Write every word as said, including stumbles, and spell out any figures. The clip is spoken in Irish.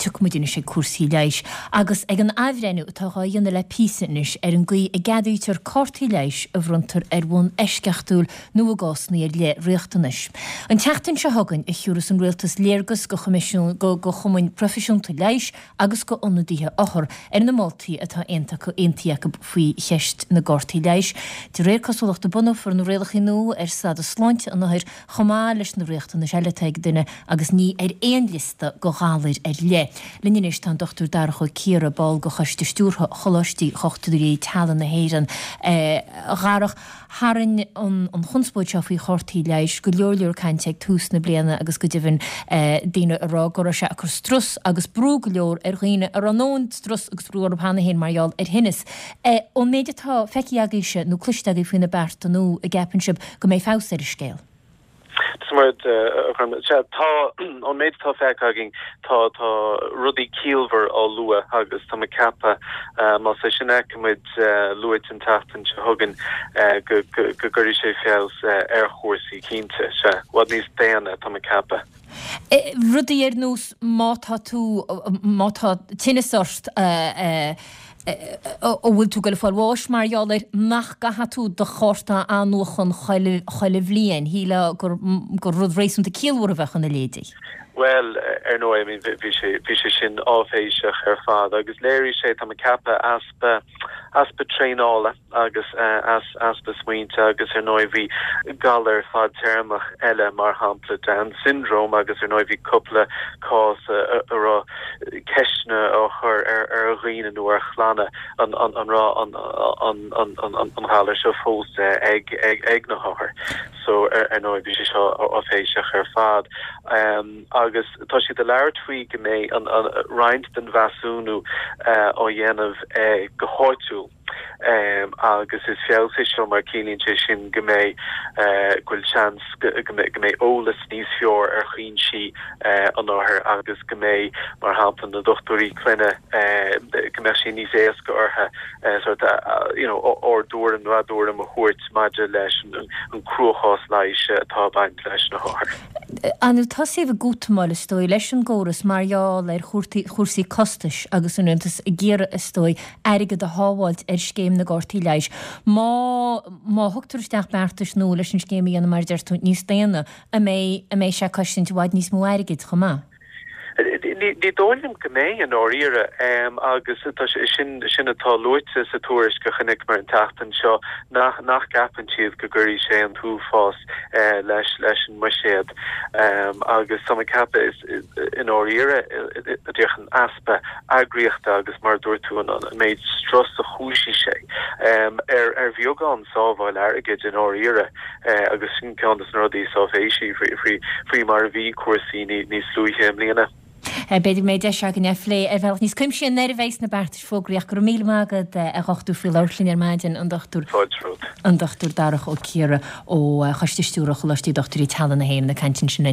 Tiocfaidh muid anois ag cúrsaí leighis agus ag an athbhreithniú atá dhá dhéanamh le píosa anois ar an gcaoi a gceadaítear cártaí leighis a bhronntar ar bhonn eisceachtúil nó i gcásanna ar leith riachtanais. An tseachtain seo chugainn a thiúrfas an Rialtas léargas go choimisiún go go chumainn proifisiúnta leighis agus go ionadaithe othar ar na moltaí atá aontaithe acu faoi cheist na gcártaí leighis. De réir cosúlachta bunófar na rialacha nua ar stádas sláinte an othair chomh maith leis na riachtanais eile atá ag duine agus ní ar aon liosta de ghalair ar leith. Linn anois tá an Dochtúir Darach Ó Ciardha, ball de Choiste Stiúrtha Choláistí Dhochtúirí Teaghlaigh na hÉireann. A Dharach, tharraing an chonspóid seo faoi chártaí leighis go leor leor cainte ag tús na bliana agus go deimhin daoine ag rá go raibh sé ag cur strus agus brú go leor ar dhaoine a raibh a ndóthain strus agus brú orthu cheana féin mar gheall ar thinneas. Ón méid atá feicthe agaibhse nó cloiste agaibh faoi na bearta nua, an gceapann sibh go mbeidh feabhas ar an scéal? Sea, tá, ón méid atá feicthe againn, tá, tá rudaí ciallmhar á lua agus tá mé ag ceapadh, más é sin a fheicfimid luaite an tseachtain seo chugainn, go, go, go gcuirfidh sé feabhas ar chúrsaí, cinnte. Sea, i bhfad níos daonna, tá mé ag ceapadh. Rudaí ar nós má tá tú, má tá tinneas ort, a bhfuil tú ag goil a fáil bháis mar gheall air, nach gcaithfidh tú do chárta a athnuachan chuile, chuile bhliain. Shílfeá gur, gur rud réasúnta ciallmhar a bheadh ina leithéidí. Bhuel, ar ndóigh, I mean, bhí sé, bhí sé sin áiféiseach ar fad agus léirigh sé, tá mé ag ceapadh, easpa, easpa traenála agus easpa smaointe agus ar ndóigh bhí galar fadtéarmach eile, mar shampla Down syndrome agus ar ndóigh bhí cúpla cás a raibh ceisteanna á chur ar dhaoine nó ar chlanna an raibh an galar seo fós ag ag na hothair. So ar ndóigh bhí sé seo áiféiseach ar fad. Agus tá siad ag labhairt faoi go mbeidh roinnt den mheasúnú á dhéanamh go háitiúil agus is feabhas é seo mar ciallaíonn sé sin go mbeidh, go bhfuil seans go mbeidh eolas níos fearr ar chúinsí an othair agus go mbeidh, mar shampla, na dochtúirí clainne, go mbeadh sé níos éasca orthu sort you know ár dtuairim nó a dtuairim a thabhairt maidir leis an cruachás leighis atá ag baint leis na hothair. Ar ndóigh tosaíodh ag útamáil is dóigh leis an gcóras mar gheall ar chúrsaí costais agus an Rialtas ag iarraidh is dóigh airgead a shábháilt ar scéim na gcártaí leighis. Má má thugtar isteach beartais nua leis an scéim a dhéanamh mar a deir tú níos daonna, an mbeidh an mbeidh sé ag cosaint i bhfad níos mó airgid chomh maith? Ní dóigh liom go mbeidh i ndáiríre agus tá sé sin sin atá luaite sa tuairisc a chonaiceamar an tseachtain seo nach nach gceapann siad go gcuirfidh sé an t-uafás leis leis an mbuiséad agus tá mé ag ceapadh is i ndáiríre díreach an easpa eagraíochta agus mar a dúirt tú an méid strus a chúisigh sé ar ar bheagán sábháil airgid i ndáiríre agus sin ceann de na rudaí is áiféisí faoi faoi mar a bhí cúrsaí níos luaithe i mbliana. B'fhéidir go mbeidh deis againn é a phlé ar bhealach níos cuimsithí nuair a bheidh na beartais fógraithe ach go raibh míle maith agat a dhochtúir faoi labhairt linn ar maidin, an Dochtúir Fáilte romhat. an Dochtúir Darach Ó Ciardha ó Choiste Stiúrtha Choláistí Dochtúirí Teaghlaigh na hÉireann ag caint ansin linn.